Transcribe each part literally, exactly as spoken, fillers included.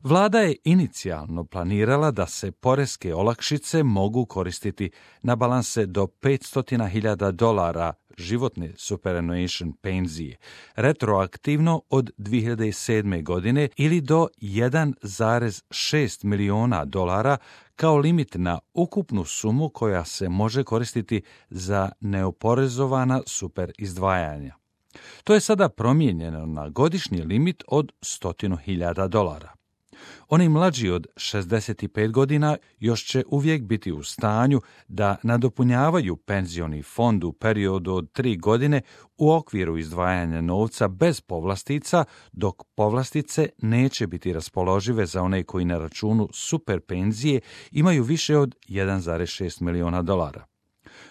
Vlada je inicijalno planirala da se poreske olakšice mogu koristiti na balanse do petsto hiljada dolara životne superannuation penzije, retroaktivno od dvije hiljade sedme. godine ili do jedan zarez šest miliona dolara kao limit na ukupnu sumu koja se može koristiti za neoporezovana super izdvajanja. To je sada promijenjeno na godišnji limit od sto hiljada dolara. Oni mlađi od šezdeset pet godina još će uvijek biti u stanju da nadopunjavaju penzioni fond u periodu od tri godine u okviru izdvajanja novca bez povlastica, dok povlastice neće biti raspoložive za one koji na računu super penzije imaju više od jedan zarez šest miliona dolara.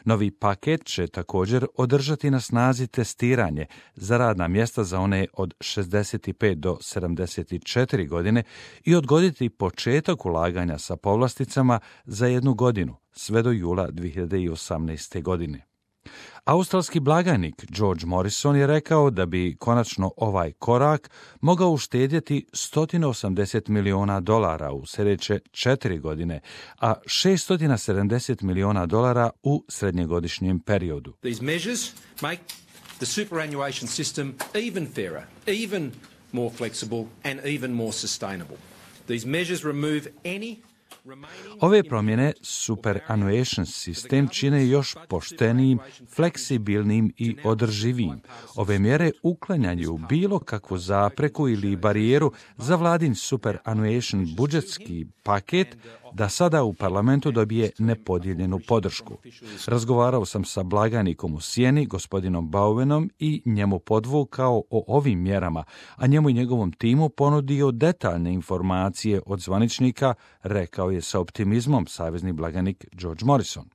Novi paket će također održati na snazi testiranje za radna mjesta za one od šezdeset pet do sedamdeset četiri godine i odgoditi početak ulaganja sa povlasticama za jednu godinu, sve do jula dvije hiljade osamnaeste. godine. Australski blagajnik George Morrison je rekao da bi konačno ovaj korak mogao uštedjeti sto osamdeset miliona dolara u sljedeće četiri godine, a šeststo sedamdeset miliona dolara u srednjegodišnjem periodu. These measures make the superannuation system even fairer, even more flexible and even more sustainable. These measures remove any Ove promjene superannuation sistem čine još poštenijim, fleksibilnim i održivijim. Ove mjere uklanjaju bilo kakvu zapreku ili barijeru za vladin superannuation budžetski paket da sada u parlamentu dobije nepodijeljenu podršku. Razgovarao sam sa blagajnikom u Sjeni, gospodinom Bowenom, i njemu podvukao o ovim mjerama, a njemu i njegovom timu ponudio detaljne informacije od zvaničnika, rekao je sa optimizmom savezni blagajnik George Morrison.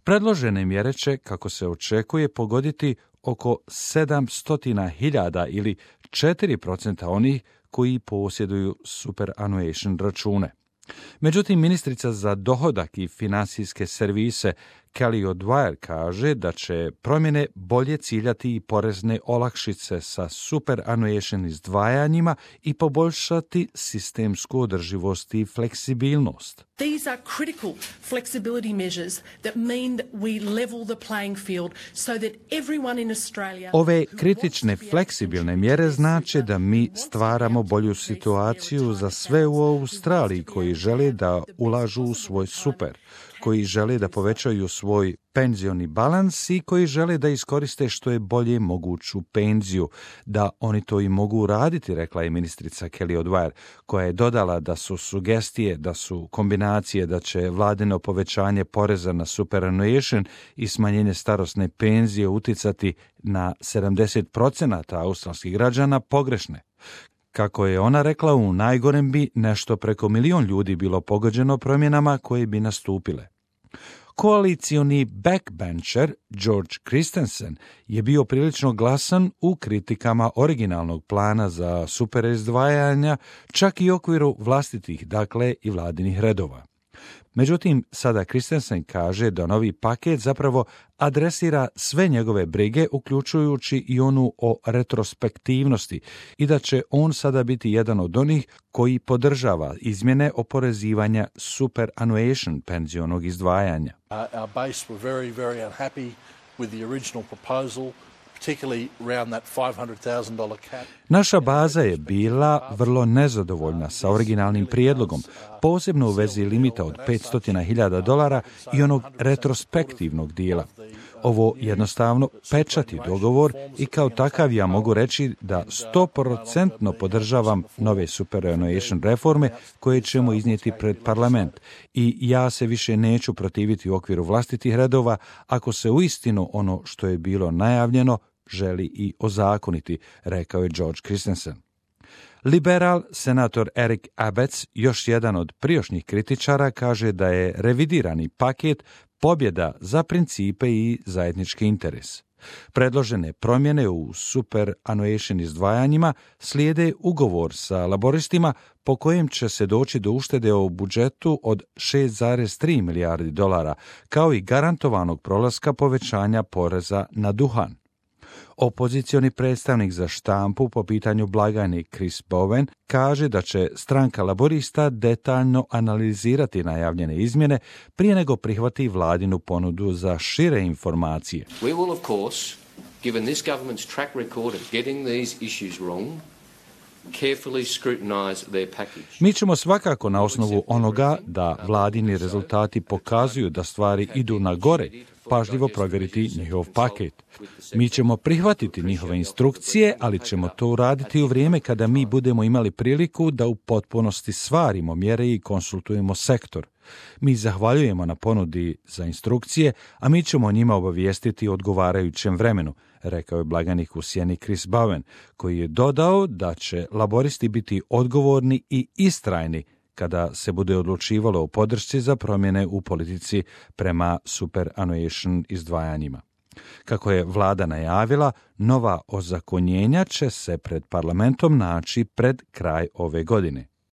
Predložene mjere će, kako se očekuje, pogoditi oko sedamsto hiljada ili četiri posto onih koji posjeduju superannuation račune. Međutim, ministrica za dohodak i financijske servise Kelly O'Dwyer kaže da će promjene bolje ciljati i porezne olakšice sa superannuation izdvajanjima i poboljšati sistemsku održivost i fleksibilnost. These are critical flexibility measures that mean that we level the playing field so that everyone in Australia... Ove kritične fleksibilne mjere znače da mi stvaramo bolju situaciju za sve u Australiji koji žele da ulažu u svoj super, koji žele da povećaju svoj penzioni balans i koji žele da iskoriste što je bolje moguću penziju, da oni to i mogu uraditi, rekla je ministrica Kelly O'Dwyer, koja je dodala da su sugestije, da su kombinacije da će vladino povećanje poreza na superannuation i smanjenje starosne penzije uticati na sedamdeset posto australskih građana pogrešne. Kako je ona rekla, u najgorem bi nešto preko milion ljudi bilo pogođeno promjenama koje bi nastupile. Koalicioni backbencher George Christensen je bio prilično glasan u kritikama originalnog plana za super izdvajanja, čak i u okviru vlastitih, dakle i vladinih redova. Međutim, sada Christensen kaže da novi paket zapravo adresira sve njegove brige, uključujući i onu o retrospektivnosti, i da će on sada biti jedan od onih koji podržava izmjene oporezivanja superannuation penzionog izdvajanja. Uh, our base were very, very unhappy with the original proposal. Naša baza je bila vrlo nezadovoljna sa originalnim prijedlogom, posebno u vezi limita od petsto hiljada dolara i onog retrospektivnog dijela. Ovo jednostavno pečati dogovor i kao takav ja mogu reći da sto posto podržavam nove superannuation reforme koje ćemo iznijeti pred parlament i ja se više neću protiviti u okviru vlastitih redova ako se uistinu ono što je bilo najavljeno želi i ozakoniti, rekao je George Christensen. Liberal senator Eric Abetz, još jedan od prijašnjih kritičara, kaže da je revidirani paket pobjeda za principe i zajednički interes. Predložene promjene u superannuation izdvajanjima slijede ugovor sa laboristima po kojem će se doći do uštede u budžetu od šest zarez tri milijardi dolara, kao i garantovanog prolaska povećanja poreza na duhan. Opozicioni predstavnik za štampu po pitanju blagajni Chris Bowen kaže da će stranka laborista detaljno analizirati najavljene izmjene prije nego prihvati vladinu ponudu za šire informacije. We will, of course, given this government's track record of getting these issues wrong, carefully scrutinize their package. Mi ćemo svakako na osnovu onoga da vladini rezultati pokazuju da stvari idu na gore, pažljivo provjeriti njihov paket. Mi ćemo prihvatiti njihove instrukcije, ali ćemo to uraditi u vrijeme kada mi budemo imali priliku da u potpunosti stvarimo mjere i konsultujemo sektor. Mi zahvaljujemo na ponudi za instrukcije, a mi ćemo o njima obavijestiti u odgovarajućem vremenu, rekao je blagajnik u sjeni Chris Bowen, koji je dodao da će laboristi biti odgovorni i istrajni kada se bude odlučivalo o podršci za promjene u politici prema superannuation izdvajanjima. Kako je vlada najavila, nova ozakonjenja će se pred parlamentom naći pred kraj ove godine.